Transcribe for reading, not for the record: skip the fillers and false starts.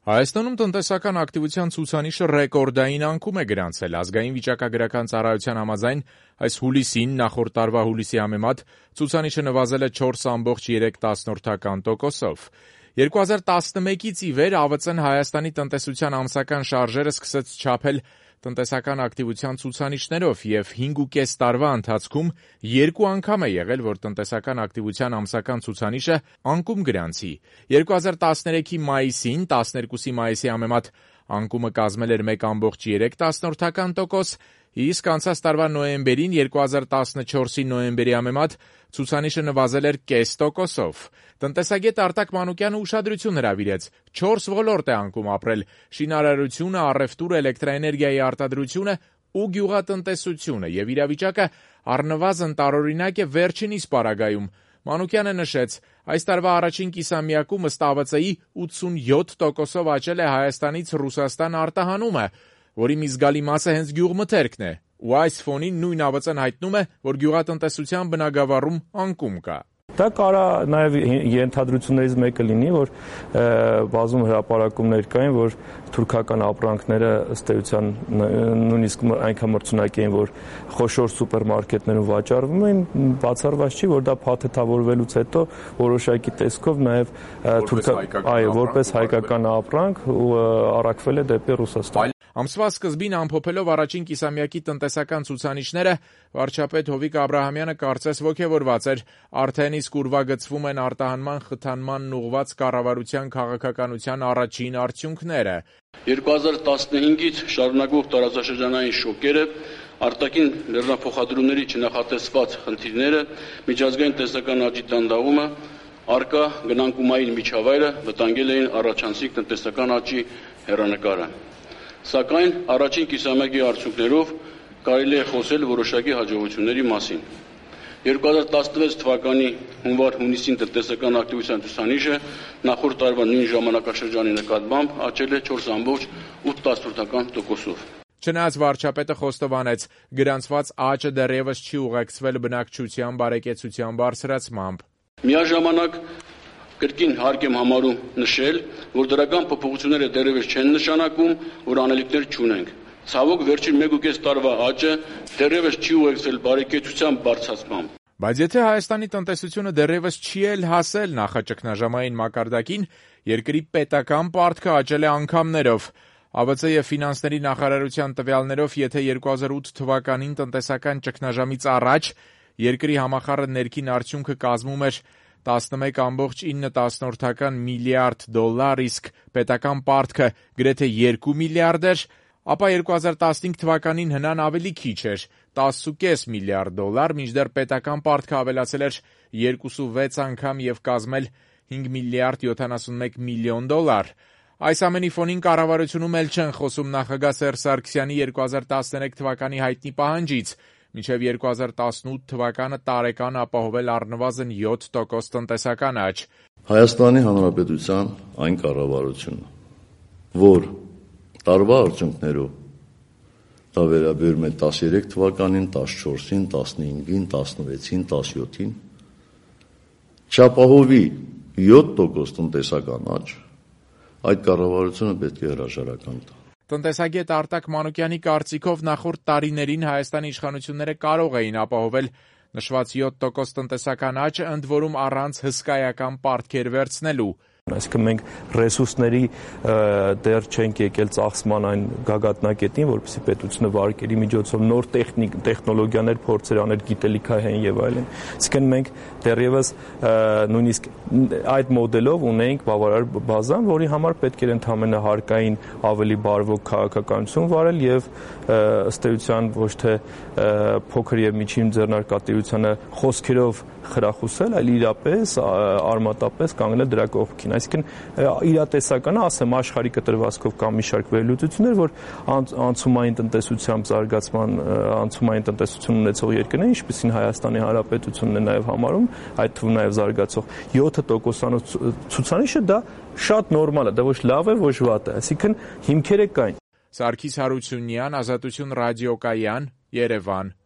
Հայաստանում տնտեսական ակտիվության ցուցանիշը ռեկորդային անկում է գրանցել։ Ազգային վիճակագրական ծառայության համաձայն այս հուլիսին նախորդ տարվա հուլիսի համեմատ ցուցանիշը նվազել է 4,3%-ով։ 2011-ից ի վեր ԱՎԾ-ն Հայաստանի տնտեսության ամսական շարժերը սկսեց չափել տնտեսական ակտիվության ցուցանիշներով և 5,5 տարվա ընթացքում 2 անգամ է եղել, որ տնտեսական ակտիվության ամսական ցուցանիշը անկում գրանցի։ 2013-ի մայիսին 12-ի մայիսի համեմատ անկումը կազմել էր 1,3%, իսկ անցած տարվա նոյեմբերին 2014-ի նոյեմբերի համեմատ ցուցանիշը նվազել էր 0,5%-ով։ Տնտեսագետ Արտակ Մանուկյանը ուշադրություն հրավիրեց. 4 ոլորտ է անկում ապրել՝ շինարարությունը, առևտուրը, էլեկտրաէներգիայի արտադրությունը ու գյուղատնտեսությունը, եւ իրավիճակը առնվազն տարօրինակ է վերջինիս պարագայում։ Մանուկյանը նշեց, այս տարվա առաջին կիսամյակում ըստ ԱՎԾ-ի 87%-ով աճել է Հայաստանից Ռուսաստան արտահանումը, որի մի զգալի մասը հենց գյուղմթերքն է, ու այս ֆոնին նույն ԱՎԾ-ն հայտնում է, որ գյուղատնտեսության բնագավառում անկում կա։ Դա կարա նաև ենթադրություններից մեկը լինի, որ բազում հրապարակումներ կային, որ թուրքական ապրանքները ըստ էության նույնիսկ այնքան մրցունակ էին, որ խոշոր սուպերմարկետներում վաճառվում էին, բացառված չի, որ դա փաթեթավորվելուց հետո որոշակի տեսքով նաև որպես հայկական ապրանք առաքվել է դեպի Ռուսաստան։ Ամսվա սկզբին ամփոփելով առաջին կիսամյակի տնտեսական ցուցանիշները, վարչապետ Հովիկ Աբրահամյանը կարծես ոգևորված էր, արդեն իսկ ուրվագծվում են արտահանման խթանմանն ուղղված կառավարության քաղաքականության առաջին արդյունքները։ 2015-ից շարունակվող տարածաշրջանային շոկերը, արտաքին լեռնափոխադրումների չնախատեսված խնդիրները, միջազգային տնտեսական աճի տանդաղումը, առկա գնանկումային միջավայրը վտանգել էին առաջանցիկ տնտեսական աճի հեռանկարը։ Սակայն առաջին կիսամյակի արդյունքներով կարելի է խոսել որոշակի հաջողությունների մասին։ 2016 թվականի հունվար-հունիսին տնտեսական ակտիվության ցուցանիշը նախորդ տարվա նույն ժամանակաշրջանի նկատմամբ աճել է 4,8%-ով։ Չնայած վարչապետը խոստովանեց, գրանցված աճը դեռևս չի ուղեկցվել բնակչության բարեկեցության բարձրացմամբ։ Միաժամանակ կրկին հարկ եմ համարում նշել, որ դրական փոփոխությունները դեռևս չեն նշանակում, որ անելիքներ չունենք։ Ցավոք, վերջին 1,5 տարվա աճը դեռևս չի ուղեկցվել բարեկեցության բարձրացմամբ։ Բայց եթե Հայաստանի տնտեսությունը դեռևս չի էլ հասել նախաճգնաժամային մակարդակին, երկրի պետական պարտքը աճել է անգամներով։ ԱՎԾ և ֆինանսների նախարարության տվյալներով, եթե 2008 թվականին տնտեսական ճգնաժամից առաջ երկրի համախառն ներքին արդյունքը կազմում էր 11,9 միլիարդ դոլար, իսկ պետական պարտքը գրեթե 2 միլիարդ էր, ապա 2015 թվականին հնան ավելի քիչ էր՝ 10,5 միլիարդ դոլար, մինչդեռ պետական պարտքը ավելացել էր 2,6 անգամ և կազմել 5 միլիարդ 71 միլիոն դոլար։ Այս ամենի ֆոնին կառավարությունում էլ չեն խոսում նախագահ Սերժ Սարգսյանի 2013 թվականի հայտնի պահանջից՝ մինչև 2018 թվականը տարեկան ապահովել առնվազն 7% տնտեսական աճ։ Հայաստանի Հանրապետության այն կառավարությունը, որ տարվա արդյունքներով դա վերաբերում է 13 թվականին, 14-ին, 15-ին, 16-ին, 17-ին, չապահովի 7% տնտեսական աճ, այդ կառավարությունը պետք է հրաժարական տա։ Տնտեսագետ Արտակ Մանուկյանի կարծիքով նախորդ տարիներին Հայաստանի իշխանությունները կարող էին ապահովել նշված 7% տնտեսական աճը, ընդ որում առանց հսկայական պարտքեր վերցնելու։ Այսինքն մենք ռեսուրսների դեռ չենք եկել ծախսման այն գագաթնակետին, որպեսզի պետությունը վարկերի միջոցով նոր տեխնոլոգիաներ փորձեր աներ, գիտելիքահեն եւ այլն։ Այսինքն մենք դեռևս նույնիսկ այդ մոդելով ունենք բավարար բազան, որի համար պետք էր ընդհանրապես հարկային ավելի բարվոք քաղաքականություն վարել եւ ըստ էության ոչ թե փոքր եւ միջին ձեռնարկատիրությանը խոսքերով խրախուսել, այլ իրապես արմատապես կանգնել դրա կողքին։ Այսինքն իրատեսականը, ասեմ, աշխարհի կտրվածքով կա մի շարք վերլուծություններ, որ անցումային տնտեսությամբ զարգացման, անցումային տնտեսություն ունեցող երկրներ, ինչպիսին Հայաստանի Հանրապետությունն է նաև համարում, այդ թվում նաև զարգացող 7%-անոց ցուցանիշը դա շատ նորմալ է, դա ոչ լավ է, ոչ վատ է, այսինքն հիմքերը կային։ Սարգիս Հարությունյան, Ազատություն ռադիոկայան, Երևան։